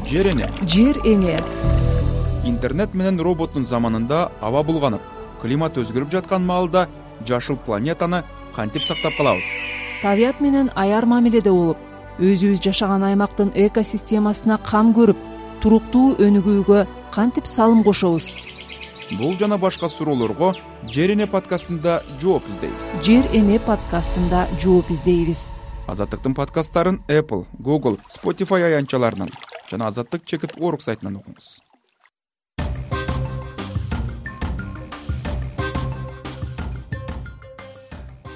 Жер эне. Жер эне. Интернет менен роботтун заманында аба булганып, климат өзгөрүп жаткан маалда жашыл планетаны кантип сактап калабыз? Табият менен аяр мамиледе болуп, өзүбүз жашаган аймактын экосистемасына кам көрүп, туруктуу өнүгүүгө кантип салым кошобуз? Бул жана башка суроолорго Жер эне подкастында жооп издейбиз. Жер эне подкастында жооп издейбиз. Азаттыктын подкасттарын Apple, Google, Spotify аянтчаларынан жана Азаттык /org сайтынан окуңуз.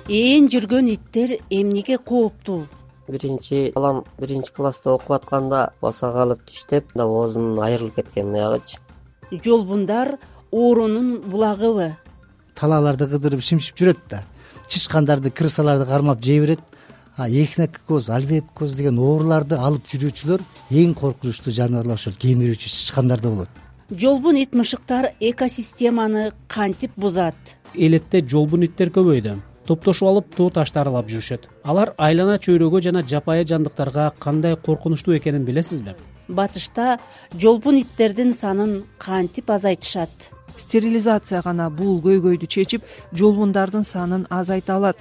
Ээн жүргөн иттер эмнеге кооптуу? Биринчи балам биринчи класста окуп атканда босого алып тиштеп, оозунун айрылып кеткен аягычы. Жолбундар оорунун булагыбы? Талааларды кыдырып шимшип жүрөт да. Чычкандарды, крысаларды кармап жей берет. Эхинокоз, альвеокоз деген ооруларды алып жүрүүчүлөр эң коркунучтуу жаныбарлар ошол кемирүүчү чычкандарда болот. Жолбун ит мышыктар экосистеманы кантип бузат? Элетте жолбун иттер көбөйдү. Топтошуп алып тоо ташты аралап жүрүшөт. Алар айлана чөйрөгө жана жапайы жандыктарга кандай коркунучтуу экенин билесизби? Батышта жолбун иттердин санын кантип азайтышат? Стерилизация гана бул көйгөйдү чечип, жолбундардын санын азайта алат.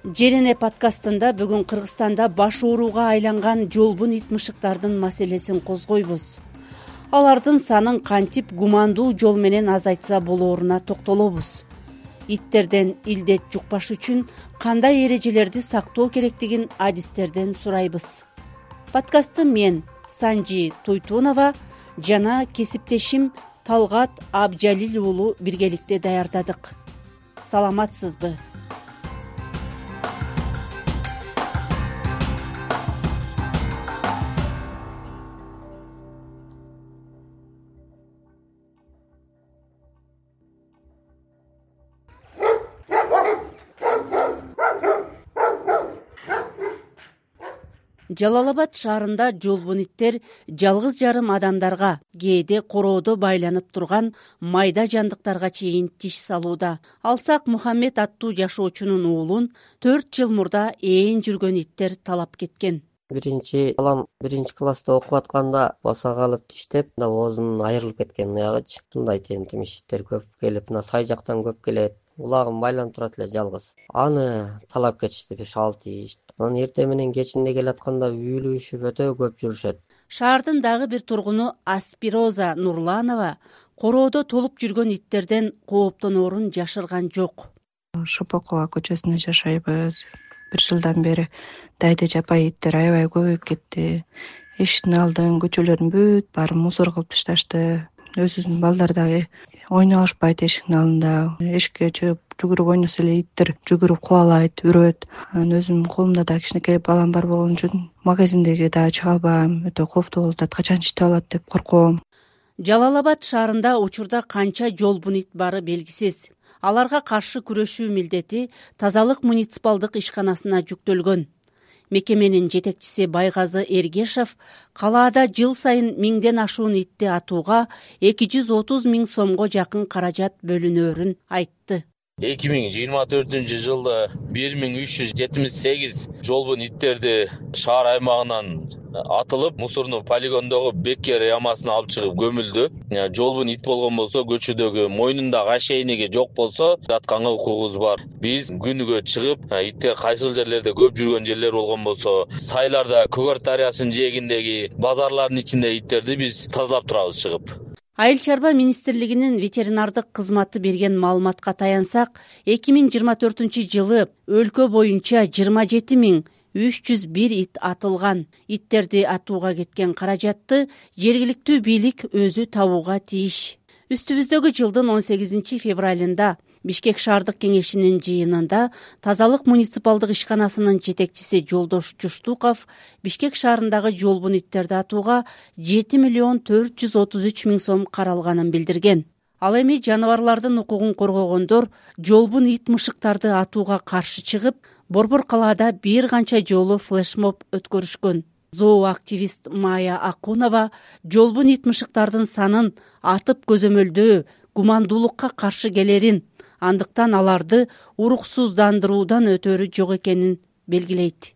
Жер эне подкастында бүгүн Кыргызстанда баш ооруга айланган жолбун ит мышыктардын маселесин козгойбуз. Алардын санын кантип гумандуу жол менен азайтса болооруна токтолобуз. Иттерден илдет жукпаш үчүн кандай эрежелерди сактоо керектигин адистерден сурайбыз. Подкастты мен Санжи Туйтунова жана кесиптешим Талгат Абжалил уулу биргеликте даярдадык. Саламатсызбы? Жалал Абад шаарында жолбун иттер жалгыз жарым адамдарга, кээде короодо байланып турган майда жандыктарга чейин тиш салууда. Алсак Мухаммед аттуу жашоочунун уулун 4 жыл мурда ээн жүргөн иттер талап кеткен. Биринчи балам биринчи класста окуп атканда босого алып тиштеп, оозунун айрылып кеткен аягычы. Ушундай тентимиш иттер көп келип, сай жактан көп келет. Улагым байланып турат эле жалгыз. Аны талап кетишти 5-6 тиш. Анан эртең менен кечинде келатканда үйлүшүп өтө көп жүрүшөт. Шаардын дагы бир тургуну Аспироза Нурланова короодо толуп жүргөн иттерден кооптоноорун жашырган жок. Шопокова көчөсүндө жашайбыз. 1 жылдан бери дайда жапайы иттер аябай көбөйүп кетти. Эшиктин алдын, көчөлөрдүн бүт баарын мусор кылып ташташты. Өзүнүн балдары дагы ойноп алышпайт эшиктин алдында. Эшикке жүгүрүп ойносо эле иттер жүгүрүп кубалайт, үрөт. Анан өзүмдүн колумда да кичинекей балам бар болгон үчүн магазиндеги дагы чыга албайм. Өтө кооптуу болуп атат. Качан читтеп алат деп корком. Жалал Абад шаарында учурда канча жолбун ит бары белгисиз. Аларга каршы күрөшүү милдети тазалык муниципалдык ишканасына жүктөлгөн. Мекеменин жетекчиси Байгазы Эргешев калаада жыл сайын 1000ден ашуун итти атууга 230 000 сомго жакын каражат бөлүнөөрүн айтты. 2024 жылда 1378 жолбун иттерди шаар аймагынан атылып, мусордуу полигондогу Беккер ямасына алып чыгып көмүлдү. Жолбун ит болгон болсо, көчөдөгү мойнундагы ошейниги жок болсо, атканга укугубуз бар. Биз күнүгө чыгып, иттер кайсыл жерлерде көп жүргөн жерлер болгон болсо, сайларда, Көгөр дарыясынын жээгиндеги базарлардын ичинде иттерди биз тазалап турабыз чыгып. Айыл чарба министрлигинин ветеринардык кызматы берген маалыматка таянсак, 2024 жылы өлкө боюнча 27 301 ит атылган. Иттерди атууга кеткен каражатты жергиликтүү бийлик өзү табууга тийиш. Үстүбүздөгү жылдын 18 февралында Бишкек шаардык кеңешинин жыйынында тазалык муниципалдык ишканасынын жетекчиси Жолдош Жуштуков Бишкек шаарындагы жолбун иттерди атууга 7 433 000 сом каралганын билдирген. Ал эми жаныбарлардын укугун коргогондор жолбун ит мышыктарды атууга каршы чыгып, Борбор калаада бир канча жолу флешмоб өткөрүшкөн. Зооактивист Майя Акунова жолбун ит мышыктардын санын атып көзөмөлдөө гумандуулукка каршы келерин, андыктан аларды уруксуздандыруудан өтөрү жок экенин белгилейт.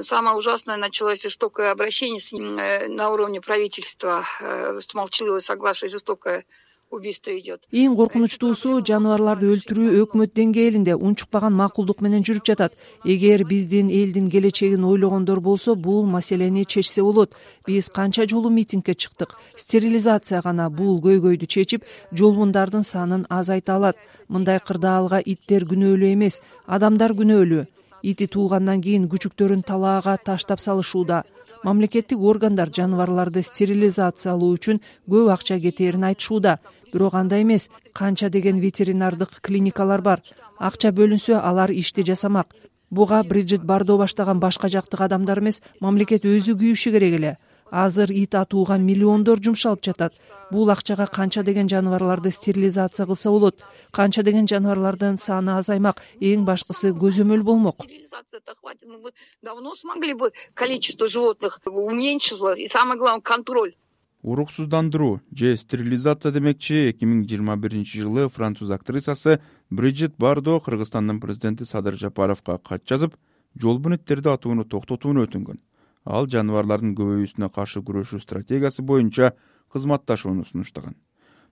самое ужасное, началось жестокое обращение на уровне правительства, с молчаливого согласия, жестокое убийство идет. Эң коркунучтуусу жаныбарларды өлтүрүү өкмөт деңгээлинде унчукпаган макулдук менен жүрүп жатат. Эгер биздин элдин келечегин ойлогондор болсо, бул маселени чечсе болот. Биз канча жолу митингге чыктык. Стерилизация гана бул көйгөйдү чечип, жолбундардын санын азайта алат. Мындай кырдаалга иттер күнөөлүү эмес, адамдар күнөөлүү. Ити туугандан кийин күчүктөрүн талаага таштап салышууда. Мамлекеттик органдар жаныбарларды стерилизациялоо үчүн көп акча кетээрин айтышууда. Бирок андай эмес, канча деген ветеринардык клиникалар бар. Акча бөлүнсө, алар ишти жасамак. Буга Бриджит Бардо баштаган башка жактык адамдар эмес, мамлекет өзү күйүшү керек эле. Азыр ит атууга миллиондор жумшалып жатат. Бул акчага канча деген жаныбарларды стерилизация кылса болот. Канча деген жаныбарлардын саны азаймак, эң башкысы көзөмөл болмок. Стерилизация-то хватит, мы бы давно смогли бы количество животных уменьшило, и самое главное контроль. Уруксуздандыруу же стерилизация демекчи 2021-жылы француз актрисасы Бриджит Бардо Кыргызстандын президенти Садыр Жапаровго кат жазып, жолбун иттерди атууну токтотууну өтүнгөн. Ал жаныбарлардын көбөйүүсүнө каршы күрөшүү стратегиясы боюнча кызматташууну сунуштаган.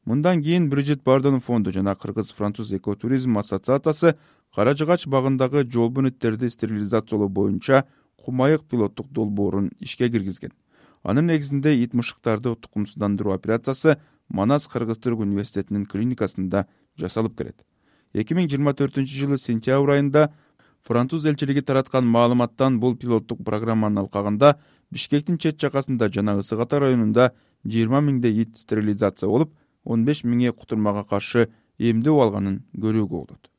Мындан кийин Бриджит Бардонун фонду жана Кыргыз-Француз экотуризм ассоциациясы Кара Жыгач багындагы жолбун иттерди стерилизациялоо боюнча кумайык пилоттук долбоорун ишке киргизген. Анын негизинде ит мышыктарды тукумсуздандыруу операциясы Манас Кыргыз-Түрк университетинин клиникасында жасалып келет. 2024-жылы сентябрь айында Француз элчилиги тараткан маалыматтан бул пилоттук программанын алкагында Бишкектин чет жакасында жана Ысык Ата районунда 20 миңдей ит стерилизация болуп, 15 миңе кутурмага каршы эмдөө алганын көрүүгө болот.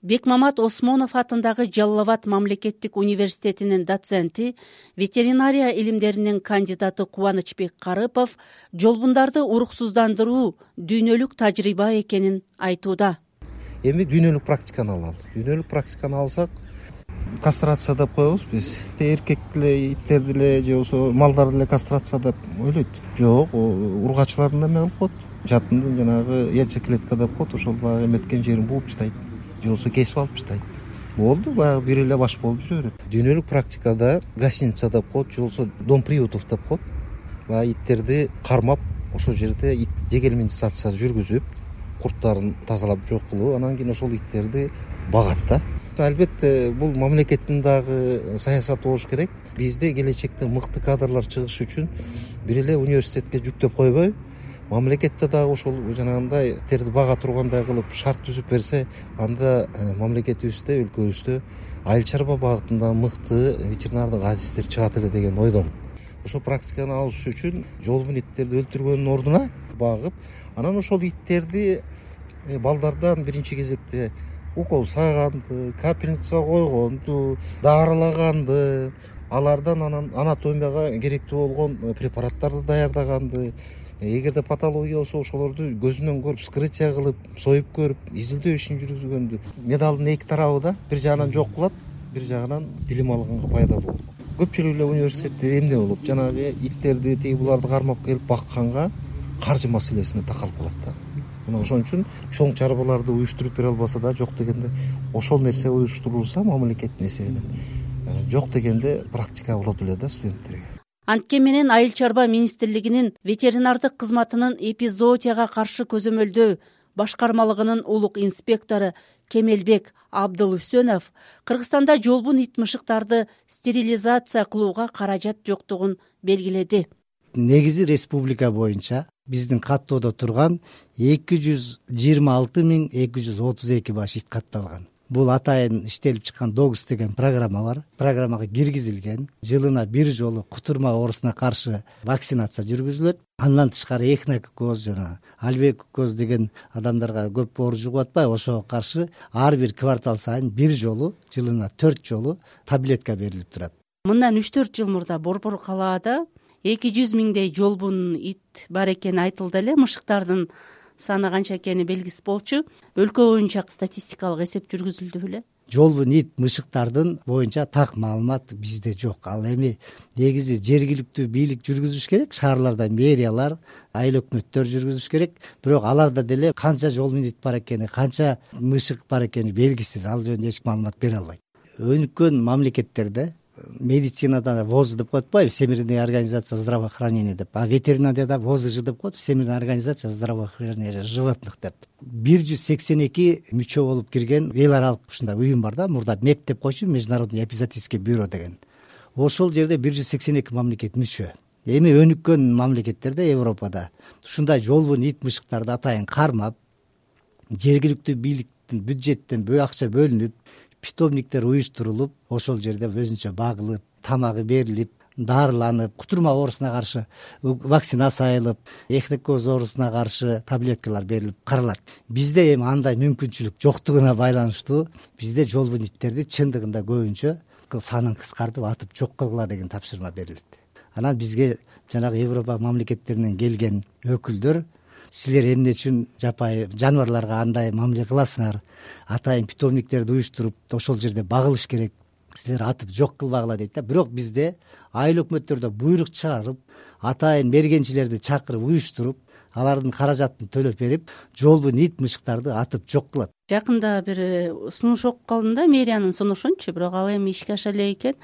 Бекмамат Осмонов атындагы Жалал Абад мамлекеттик университетинин доценти, ветеринария илимдеринин кандидаты Кубанычбек Карыпов жолбундарды уруксуздандыруу дүйнөлүк тажрыйба экенин айтууда. Эми дүйнөлүк практиканы алалы. Дүйнөлүк практиканы алсак, кастрация деп коебуз биз. Эркек деле, иттерди деле же болбосо малдарды деле кастрация деп ойлойт. Жок, ургачылардын да эме кылып коет. Жатындын жанагы яйцеклетка деп коет, ошол баягы эметкен жерин бууп таштайт. Же болбосо кесип алып таштайт. Болду, баягы бир эле баш болуп жүрө берет. Дүйнөлүк практикада гостиница деп коет, же болбосо дом приютов деп коет. Баягы иттерди кармап, ошол жерде ит дегельминизация жүргүзүп, курттарын тазалап жок кылуу, анан кийин ошол иттерди багат да. Албетте бул мамлекеттин дагы саясаты болуш керек. Бизде келечекте мыкты кадрлар чыгыш үчүн бир эле университетке жүктөп койбой, мамлекетте дагы ошол жанагындай иттерди бага тургандай кылып шарт түзүп берсе, анда мамлекетибизде, өлкөбүздө айыл чарба багытында мыкты ветеринардык адистер чыгат эле деген ойдомун. Ошол практиканы алыш үчүн жолбун иттерди өлтүргөндүн ордуна багып, анан ошол иттерди балдардан биринчи кезекте укол сайганды, капельница койгонду, дарылаганды, алардан анан анатомияга керектүү болгон препараттарды даярдаганды, эгерде патология болсо ошолорду көзүнөн көрүп, вскрытие кылып, союп көрүп, изилдөө ишин жүргүзгөндү. Медалдын эки тарабы да бир жагынан жок кылат, бир жагынан билим алганга пайдалуу болот. Көпчүлүк эле университетте эмне болот? Жанагы иттерди, тиги буларды кармап келип бакканга каржы маселесине такалып калат да. Мына ошон үчүн чоң чарбаларды уюштуруп бере албаса да, жок дегенде ошол нерсе уюштурулса мамлекеттин эсебинен, жок дегенде практика болот эле да студенттерге. Антке менен Айыл чарба министрлигинин ветеринардык кызматынын эпизоотияга каршы көзөмөлдөө башкармалыгынын улук инспектору Кемелбек Абдылүсөнов Кыргызстанда жолбун ит мышыктарды стерилизация кылууга каражат жоктугун белгиледи. Негизи республика боюнча биздин каттоодо турган 226.232 баш ит катталган. Бул атайын иштелип чыккан Догс деген программа бар. Программага киргизилген. Жылына бир жолу кутурма оорусуна каршы вакцинация жүргүзүлөт. Андан тышкары эхинококоз жана альвеококоз деген адамдарга көп оор жугуп атпайбы, ошого каршы ар бир квартал сайын бир жолу, жылына 4 жолу таблетка берилип турат. Мындан 3-4 жыл мурда Борбор калаада 200 миңдей жолбун ит бар экени айтылды эле. Мышыктардын саны канча экени белгисиз болчу. Өлкө боюнча статистикалык эсеп жүргүзүлдү беле? Жолбун ит мышыктардын боюнча так маалымат бизде жок. Ал эми негизи жергиликтүү бийлик жүргүзүш керек, шаарларда мэриялар, айыл өкмөттөр жүргүзүш керек. Бирок аларда деле канча жолбун ит бар экени, канча мышык бар экени белгисиз. Ал жөнүндө эч маалымат бере албайт. Өнүккөн мамлекеттерде медицинада воз деп коет атпайбы, Всемирная организация здравоохранения деп, а ветеринарияда ВОЗЖ деп коет, Всемирная организация здравоохранения животных деп. 182 мүчө болуп кирген эл аралык ушундай уюм бар да, мурда МЕП деп койчу, Международный эпизоотический бюро деген. Ошол жерде 182 мамлекет мүчө. Эми өнүккөн мамлекеттерде, Европада ушундай жолбун ит мышыктарды атайын кармап, жергиликтүү бийликтин бюджеттен акча бөлүнүп, питомниктер уюштурулуп, ошол жерде өзүнчө багылып, тамагы берилип, дарыланып, кутурма оорусуна каршы вакцинация айылып, эхинокоз оорусуна каршы таблеткалар берилип каралат. Бизде эми андай мүмкүнчүлүк жоктугуна байланыштуу бизде жолбун иттерди чындыгында көбүнчө санын кыскартып атып жок кылгыла деген тапшырма берилет. Анан бизге жанагы Европа мамлекеттеринен келген өкүлдөр, силер эмне үчүн жапайы жаныбарларга андай мамиле кыласыңар, атайын питомниктерди уюштуруп, ошол жерде багылыш керек, силер атып жок кылбагыла дейт да. Бирок бизде айыл өкмөттөрдө буйрук чыгарып, атайын мергенчилерди чакырып уюштуруп, алардын каражатын төлөп берип, жолбун ит мышыктарды атып жок кылат. Жакында бир сунуш окуп калдым да, мэриянын сунушунчу, бирок ал эми ишке аша элек экен.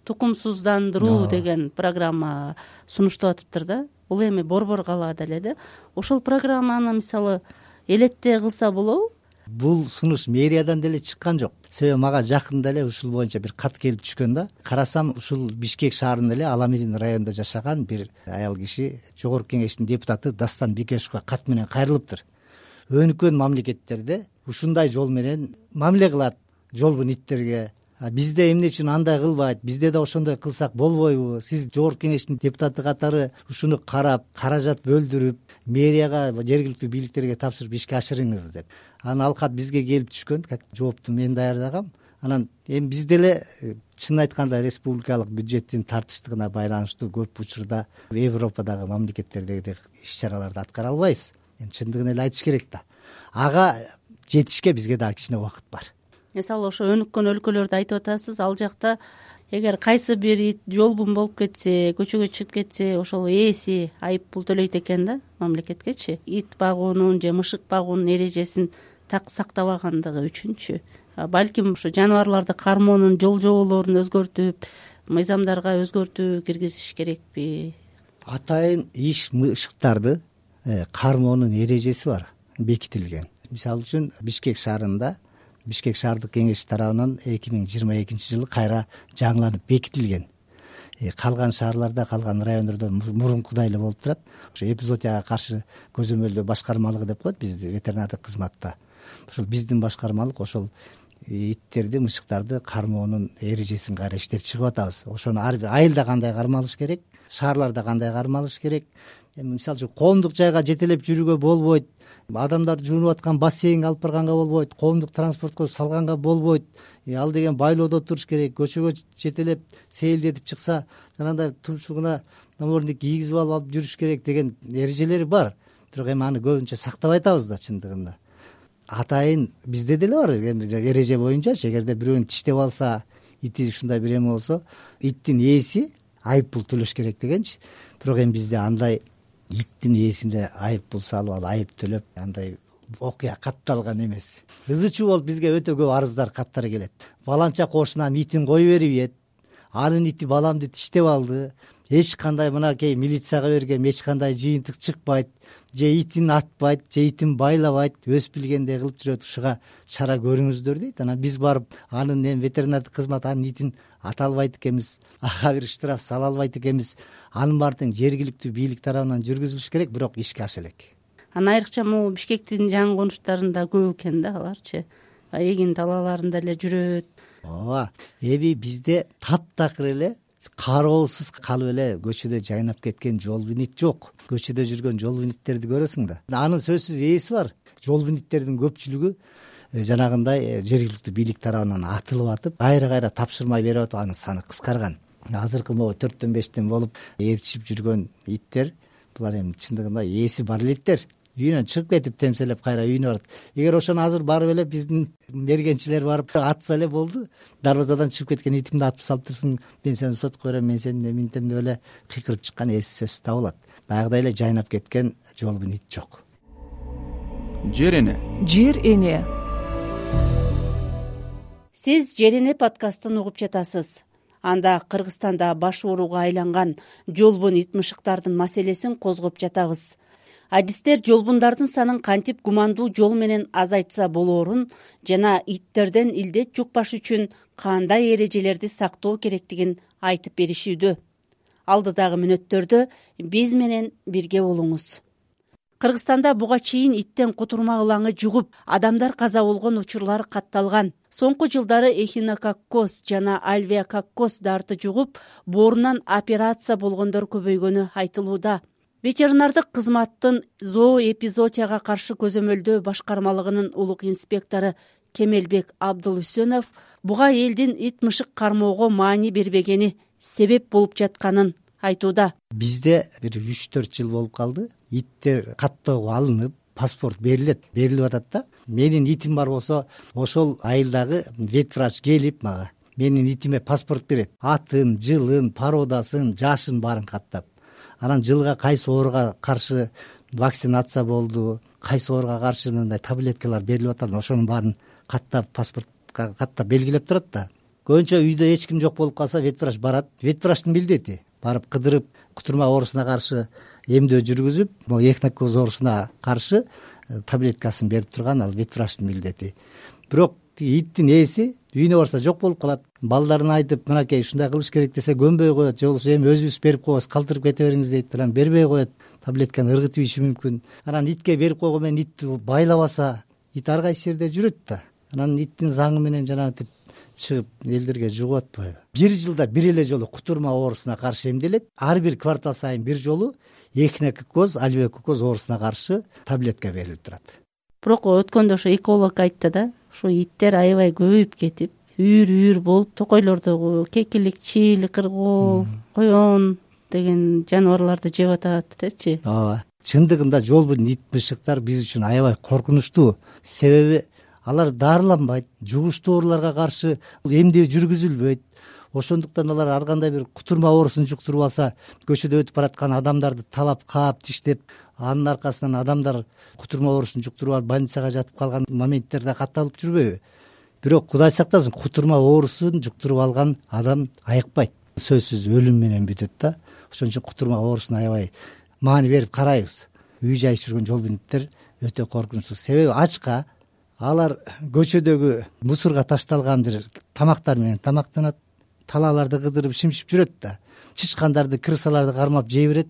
Тукумсуздандыруу деген программа сунуштап атыптыр да. Бул эми борбор калаада эле да. Ошол программаны мисалы элетте кылса болобу? Бул сунуш мэриядан деле чыккан жок. Себеби мага жакында эле ушул боюнча бир кат келип түшкөн да. Карасам, ушул Бишкек шаарында эле Аламедин районунда жашаган бир аял киши Жогорку Кеңештин депутаты Дастан Бекешевге кат менен кайрылыптыр. Өнүккөн мамлекеттерде ушундай жол менен мамиле кылат жолбун иттерге. Бизде эмне үчүн андай кылбайт? Бизде да ошондой кылсак болбойбу? Сиз Жогорку Кеңештин депутаты катары ушуну карап, каражат бөлдүрүп, мэрияга, жергиликтүү бийликтерге тапшырып ишке ашырыңыз деп. Анан ал кат бизге келип түшкөн, жоопту мен даярдагам. Анан эми биз деле чынын айтканда республикалык бюджеттин тартыштыгына байланыштуу көп учурда Европадагы мамлекеттердеги иш-чараларды аткара албайбыз. Эми чындыгын эле айтыш керек да. Ага жетишке бизге дагы кичине убакыт бар. Мисалы ошо өнүккөн өлкөлөрдү айтып атасыз, ал жакта эгер кайсы бир ит жолбун болуп кетсе, көчөгө чыгып кетсе, ошол ээси айып пул төлөйт экен да мамлекеткечи. Ит багуунун же мышык багуунун эрежесин так сактабагандыгы үчүнчү. Балким ошо жаныбарларды кармоонун жол жоболорун өзгөртүп, мыйзамдарга өзгөртүү киргизиш керекпи? Атайын иш мышыктарды кармоонун эрежеси бар, бекитилген. Мисалы үчүн Бишкек шаарында Бишкек шаардык кеңеш тарабынан 2022 жылы кайра жаңыланып бекитилген. Калган шаарларда, калган райондордо мурункудай эле болуп турат. Ошо эпизоотияга каршы көзөмөлдөө башкармалыгы деп коет бизди ветеринардык кызматта. Ошол биздин башкармалык ошол иттерди, мышыктарды кармоонун эрежесин кайра иштеп чыгып атабыз. Ошону ар бир айылда кандай кармалыш керек, шаарларда кандай кармалыш керек. Мисалы үчүн коомдук жайга жетелеп жүрүүгө болбойт, адамдар жуунуп аткан бассейнге алып барганга болбойт, коомдук транспортко салганга болбойт. Ал деген байлоодо туруш керек. Көчөгө жетелеп сейилдетип чыкса, жанагындай тумшугуна намордник кийгизип алып жүрүш керек деген эрежелери бар. Бирок эми аны көбүнчө сактабай атабыз да чындыгында. Атайын бизде деле бар эреже боюнча, эгерде бирөөнү тиштеп алса, ити ушундай бир эме болсо, иттин ээси айып пул төлөш керек дегенчи. Бирок эми бизде андай иттин ээсинде айып пул салып, ал айып төлөп, андай окуя катталган эмес. Ызы чуу болуп бизге өтө көп арыздар, каттар келет. Баланча кошунан итин кой берип, анын ити баламды тиштеп алды, эч кандай мынакей милицияга бергем, эч кандай жыйынтык чыкпайт, же итин атпайт, же итин байлабайт, өз билгендей кылып жүрөт, ушуга чара көрүңүздөр дейт. Анан биз барып анын эми ветеринардык кызмат анын итин ата албайт экенбиз, ага бир штраф сала албайт экенбиз. Анын баардыгы жергиликтүү бийлик тарабынан жүргүзүлүш керек, бирок ишке аша элек. Анан айрыкча могу Бишкектин жаңы конуштарында көп экен да аларчы. Эгин талааларында эле жүрөт. Ооба, эми бизде таптакыр эле кароосуз калып эле көчөдө жайнап кеткен жолбун ит жок. Көчөдө жүргөн жолбун иттерди көрөсүң да. Анын сөзсүз ээси бар. Жолбун иттердин көпчүлүгү жанагындай жергиликтүү бийлик тарабынан атылып атып, кайра тапшырма берип атып, анын саны кыскарган. Азыркы могу 4-5тен болуп ээрчип жүргөн иттер, булар эми чындыгында ээси бар эле иттер. Үйүнөн чыгып кетип темселеп кайра үйүнө барат. Эгер ошону азыр барып эле биздин мергенчилер барып атса эле болду. Дарбазадан чыгып кеткен итимди атып салып турсуң, мен сени сотко берем, мен сени эминтем деп эле кыйкырып чыккан эси сөзсүз табылат. Баягыдай эле жайнап кеткен жолбун ит жок. Жер эне. Жер эне. Сиз Жер эне подкастын угуп жатасыз. анда Кыргызстанда баш ооруга айланган жолбун ит мышыктардын маселесин козгоп жатабыз. Адистер жолбундардын санын кантип гумандуу жол менен азайтса болоорун жана иттерден илдет жукпаш үчүн кандай эрежелерди сактоо керектигин айтып беришүүдө. Алдыдагы мүнөттөрдө биз менен бирге болуңуз. Кыргызстанда буга чейин иттен кутурма ылаңы жугуп, адамдар каза болгон учурлар катталган. Соңку жылдары эхинококкоз жана альвеококкоз дарты жугуп, боорунан операция болгондор көбөйгөнү айтылууда. Ветеринардык кызматтын зооэпизоотияга каршы көзөмөлдөө башкармалыгынын улук инспектору Кемелбек Абдулүсөнов буга элдин ит мышык кармоого маани бербегени себеп болуп жатканын айтууда. Бизде бир 3-4 жыл болуп калды. Иттер каттоого алынып, паспорт берилип атат да. Менин итим бар болсо, ошол айылдагы ветврач келип мага менин итиме паспорт берет. Атын, жылын, породасын, жашын баарын каттап. Анан жылга кайсы ооруга каршы вакцинация болду, кайсы ооруга каршы мындай таблеткалар берилип атат, ошонун баарын каттап, паспортка каттап белгилеп турат да. Көбүнчө үйдө эч ким жок болуп калса, ветврач барат. Ветврачтын милдети барып кыдырып, кутурма оорусуна каршы эмдөө жүргүзүп, могу эхинококкоз оорусуна каршы таблеткасын берип турган ал ветврачтын милдети. Бирок иттин ээси үйүнө барса жок болуп калат. Балдарына айтып, мынакей ушундай кылыш керек десе көнбөй коет, же болбосо эми өзүбүз берип коебуз, калтырып кете бериңиз дейт, анан бербей коет. Таблетканы ыргытып ийиши мүмкүн. Анан итке берип койгон менен итти байлабаса, ит ар кайсы жерде жүрөт да. Анан иттин заңы менен жанагынтип чыгып элдерге жугуп атпайбы? Бир жылда бир эле жолу кутурма оорусуна каршы эмделет. Ар бир квартал сайын бир жолу эхинококкоз, альвеококкоз оорусуна каршы таблетка берилип турат. Бирок өткөндө ошо эколог айтты да, ошо иттер аябай көбөйүп кетип, үйүр болуп, токойлордогу кекилик, чийл, кыргоол, коен деген жаныбарларды жеп атат депчи. Ооба. Чындыгында жолбун ит мышыктар биз үчүн аябай коркунучтуу. Себеби алар дарыланбайт, жугуштуу ооруларга каршы эмдөө жүргүзүлбөйт. Ошондуктан алар ар кандай бир кутурма оорусун жуктуруп алса, көчөдө өтүп бараткан адамдарды талап, каап, тиштеп, анын аркасынан адамдар кутурма оорусун жуктуруп алып больницага жатып калган моменттер да катталып жүрбөйбү? Бирок Кудай сактасын, кутурма оорусун жуктуруп алган адам айыкпайт. Сөзсүз өлүм менен бүтөт да. Ошон үчүн кутурма оорусуна аябай маани берип карайбыз. Үй жай жүргөн жолбун иттер өтө коркунучтуу. Себеби ачка алар көчөдөгү мусорго ташталган бир тамактар менен тамактанат, талааларды кыдырып шимшип жүрөт да. Чычкандарды, крысаларды кармап жей берет.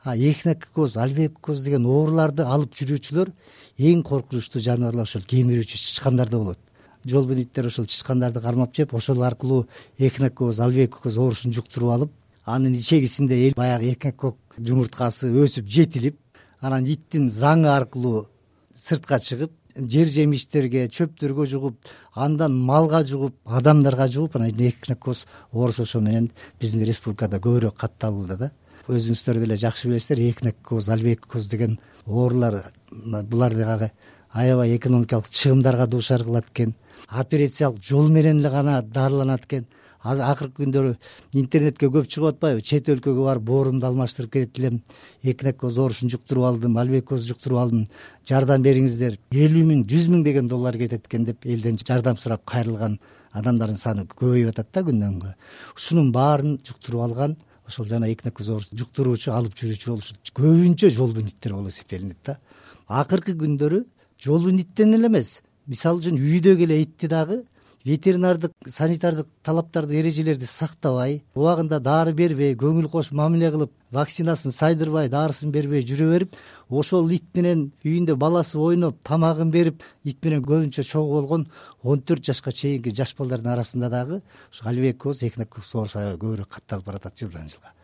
Эхинококкоз, альвеококкоз деген ооруларды алып жүрүүчүлөр эң коркунучтуу жаныбарлар ошол кемирүүчү чычкандарда болот. Жолбун иттер ошол чычкандарды кармап жеп, ошол аркылуу эхинококкоз, альвеококкоз оорусун жуктуруп алып, анын ичегисинде баягы эхинококк жумурткасы өсүп жетилип, анан иттин заңы аркылуу сыртка чыгып, жер жемиштерге, чөптөргө жугуп, андан малга жугуп, адамдарга жугуп, анан эхинококкоз оорусу ошо менен биздин республикада көбүрөөк катталууда да. Өзүңүздөр деле жакшы билесиздер, эхинококкоз, альвеококкоз деген оорулар буларды аябай экономикалык чыгымдарга дуушар кылат экен. Операциялык жол менен эле гана дарыланат экен. Акыркы күндөрү интернетке көп чыгып атпайбы? Чет өлкөгө барып боорумду алмаштырып келет элем, эхинококкоз оорусун жуктуруп алдым, альвеококкоз жуктуруп алдым, жардам бериңиздер, 50 000, 100 000 деген доллар кетет экен деп элден жардам сурап кайрылган адамдардын саны көбөйүп атат да күндөн күнгө. Ушунун баарын жуктуруп алган ошол жана эхинококкоз оорусун жуктуруучу, алып жүрүүчү болушу көбүнчө жолбун иттер болуп эсептелинет да. Акыркы күндөрү жолбун иттен эле эмес, мисалы үчүн үйдөгү эле итти дагы ветеринардык, санитардык талаптарды, эрежелерди сактабай, убагында дары бербей, көңүл кош мамиле кылып, вакцинасын сайдырбай, дарысын бербей жүрө берип, ошол ит менен үйүндө баласы ойноп, тамагын берип, ит менен көбүнчө чогуу болгон 14 жашка чейинки жаш балдардын арасында дагы ошо альвеококкоз, эхинококкоз оорусу көбүрөөк катталып баратат жылдан жылга.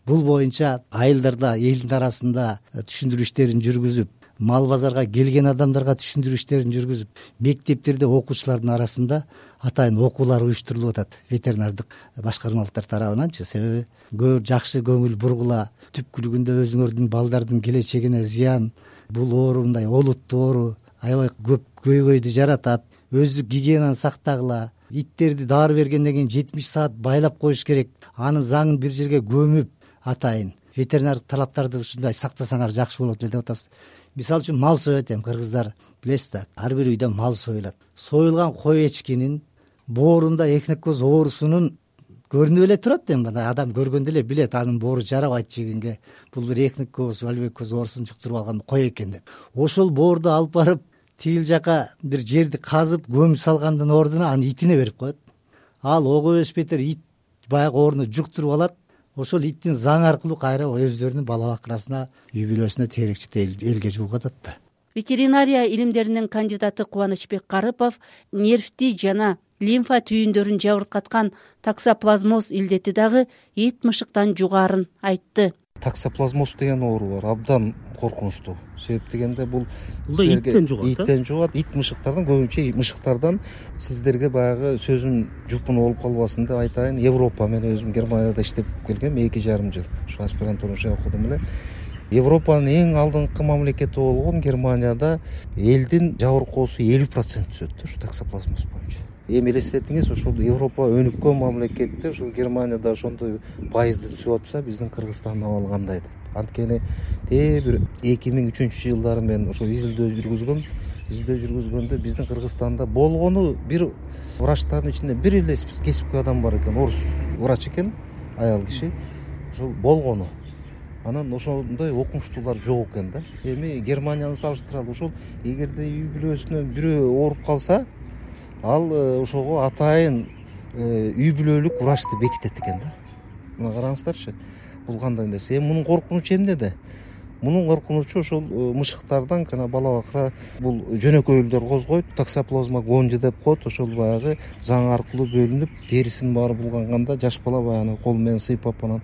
Бул боюнча айылдарда, элдин арасында түшүндүрүү иштерин жүргүзүп, мал базарга келген адамдарга түшүндүрүү иштерин жүргүзүп, мектептерде окуучулардын арасында атайын окуулар уюштурулуп атат ветеринардык башкармалыктар тарабынанчы. Себеби көбүр жакшы көңүл бургула, түпкүлүгүндө өзүңөрдүн балдардын келечегине зыян, бул оору мындай олуттуу оору, аябай көп көйгөйдү жаратат, өздүк гигиенаны сактагыла, иттерди дары бергенден кийин 70 саат байлап коюш керек, анын заңын бир жерге көмүп атайын ветеринардык талаптарды ушундай сактасаңар жакшы болот деп атабыз. Мисалы үчүн мал соет, эми кыргыздар билесиз да, ар бир үйдө мал союлат. Союлган кой эчкинин боорунда эхинококкоз оорусунун көрүнүп эле турат. Эми мына адам көргөндө эле билет, анын боору жарабайт жегенге, бул бир эхникоз, вальвекоз оорусун жуктуруп алган кой экен деп. Ошол боорду алып барып тигил жака бир жерди казып көмүп салгандын ордуна аны итине берип коет. Ал ого эш бетер ит баягы ооруну жуктуруп алат. Ошол иттин заңы аркылуу кайра өздөрүнүн бала бакырасына, үй бүлөсүнө теэрекчите элге жуугатат да. Ветеринария илимдеринин кандидаты Кубанычбек Карыпов нервти жана лимфа түйүндөрүн жабыркаткан таксоплазмоз илдети дагы ит мышыктан жугаарын айтты. Таксоплазмоз деген оору бар, абдан коркунучтуу. Себеп дегенде бул иттен жугат. Иттен жугат, ит мышыктардан, көбүнчө мышыктардан. Сиздерге баягы сөзүм жупун болуп калбасын деп айтайын. Европа, мен өзүм Германияда иштеп келгем 2,5 жыл. Ушу аспирантура окудум эле. Европанын эң алдыңкы мамлекети болгон Германияда элдин жабыркоосу 50% түзөт ушу таксоплазмоз боюнча. Эми элестетиңиз, ошол Европа өнүккөн мамлекетте ошол Германияда ошондой пайызды түзүп атса, биздин Кыргызстандын абалы кандай деп. Анткени бир 2003 жылдары мен ошо изилдөө жүргүзгөндө биздин Кыргызстанда болгону бир врачтардын ичинде бир эле кесипкөй адам бар экен, орус врач экен, аял киши. Ошол болгону. Анан ошондой окумуштуулар жок экен да. Эми Германияны салыштыралы, ошол эгерде үй бүлөсүнөн бирөө ооруп калса, ал ошого атайын үй бүлөлүк врачты бекитет экен да. Мына караңыздарчы, бул кандай нерсе. Эми мунун коркунучу эмнеде? Мунун коркунучу ошол мышыктардан жана бала бакыра бул жөнөкөйлөр козгойт, таксоплазма гонжи деп коет. Ошол баягы заң аркылуу бөлүнүп, терисин баары булганганда жаш бала баягы кол менен сыйпап анан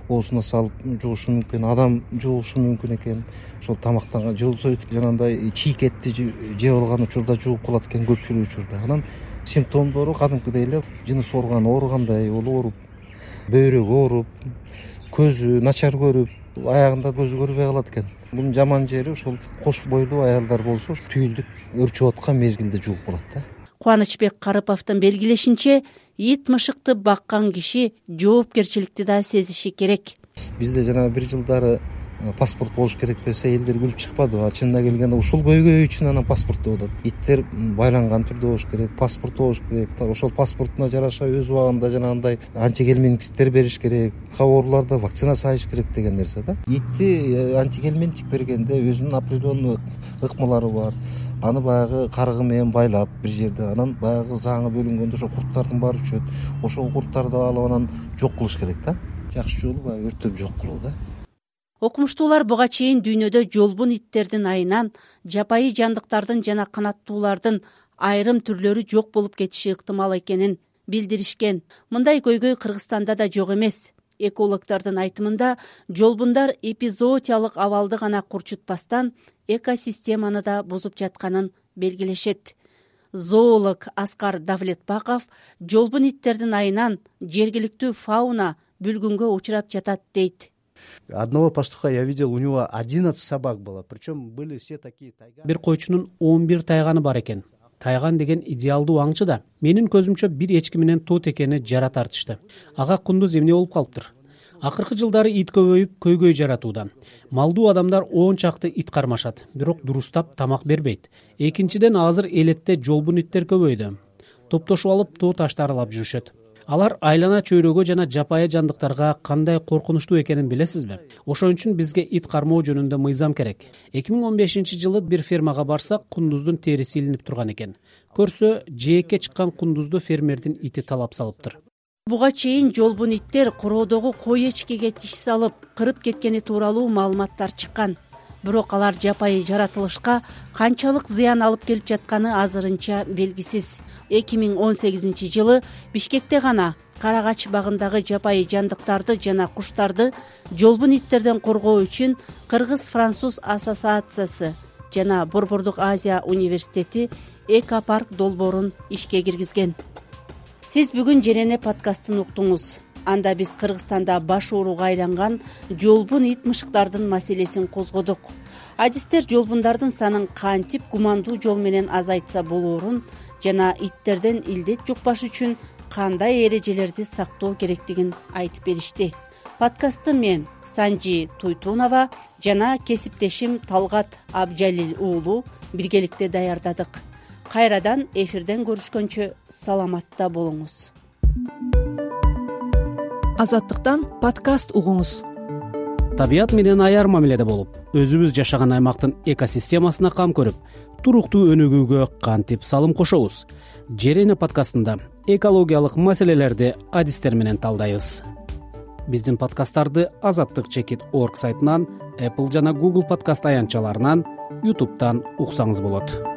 оосуна салып жугушу мүмкүн, адам жугушу мүмкүн экен. Ошол тамактан жуулса жанагындай чийик этти жеп алган учурда жууп калат экен көпчүлүк учурда. Анан симптомдору кадимкидей эле жыныс органы ооругандай болуп, ооруп, бөйрөгү ооруп, көзү начар көрүп, аягында көзү көрбөй калат экен. Бунун жаман жери ошол кош бойлуу аялдар болсо түйүлдүк өрчүп аткан мезгилде жууп калат да. Кубанычбек Карыповдун белгилешинче, ит мышыкты баккан киши жоопкерчиликти да сезиши керек. Бизде жана бир жылдары паспорт болуш керек десе элдер күлүп чыкпадыбы? Чынына келгенде ушул көйгөй үчүн анан паспорт деп атат. Иттер байланган түрдө болуш керек, паспорт болуш керек. Ошол паспортуна жараша өз убагында жанагындай антигельминттер бериш керек, ооруларда вакцина салыш керек деген нерсе да. Итти антигельминтик бергенде өзүнүн определенный ыкмалары бар. Аны баягы каргы менен байлап бир жерде, анан баягы заңы бөлүнгөндө ошо курттардын баары чөт. Ошол курттарды алып анан жок кылыш керек да. Жакшы жолу баягы өрттөп жок кылуу да. Окумуштуулар буга чейин дүйнөдө жолбун иттердин айынан жапайы жандыктардын жана канаттуулардын айрым түрлөрү жок болуп кетиши ыктымал экенин билдиришкен. Мындай көйгөй Кыргызстанда да жок эмес. Экологдордун айтымында жолбундар эпизоотиялык абалды гана курчутпастан экосистеманы да бузуп жатканын белгилешет. Зоолог Аскар Давлетбаков жолбун иттердин айынан жергиликтүү фауна бүлгүнгө учурап жатат дейт. Одного пастуха я видел, у него 11 собак было, причем были все такие тайганы. Бир койчунун 11 тайганы бар экен. Тайган деген идеалдуу аңчы да. Менин көзүмчө бир эчки менен тот экени жара тартышты. Ага кундуз эмне болуп калыптыр? Акыркы жылдары ит көбөйүп, көйгөй жаратууда. Малдуу адамдар 10 чакты ит кармашат, бирок дурустап тамак бербейт. Экинчиден, азыр элетте жолбун иттер көбөйдү. Топтошуп алып тоо таштарылап жүрүшөт. Алар айлана чөйрөгө жана жапайы жандыктарга кандай коркунучтуу экенин билесизби? Ошон үчүн бизге ит кармоо жөнүндө мыйзам керек. 2015 жылы бир фермага барсак, кундуздун териси илинип турган экен. Көрсө, жээкке чыккан кундузду фермердин ити талап салыптыр. Буга чейин жолбун иттер короодогу кой эчкеге тиш салып, кырып кеткени тууралуу маалыматтар чыккан. Бирок алар жапайы жаратылышка канчалык зыян алып келип жатканы азырынча белгисиз. 2018 жылы Бишкекте гана Карагач багындагы жапайы жандыктарды жана куштарды жолбун иттерден коргоо үчүн Кыргыз-Француз ассоциациясы жана Борбордук Азия университети экопарк долбоорун ишке киргизген. Сиз бүгүн Жерене подкастын уктуңуз. Анда биз Кыргызстанда баш ооруга айланган жолбун ит мышыктардын маселесин козгодук. Адистер жолбундардын санын кантип гумандуу жол менен азайтса болоорун жана иттерден илдет жукпаш үчүн кандай эрежелерди сактоо керектигин айтып беришти. Подкастты мен Санжи Туйтунова жана кесиптешим Талгат Абжалил уулу биргеликте даярдадык. Кайрадан эфирден көрүшкөнчө саламатта болуңуз. Азаттыктан подкаст угуңуз. Табият менен аяр мамиледе болуп, өзүбүз жашаган аймактын экосистемасына кам көрүп, туруктуу өнүгүүгө кантип салым кошобуз? Жер эне подкастында экологиялык маселелерди адистер менен талдайбыз. Биздин подкасттарды azattik.org сайтынан, Apple жана Google подкаст аянтчаларынан, YouTube'дан уксаңыз болот.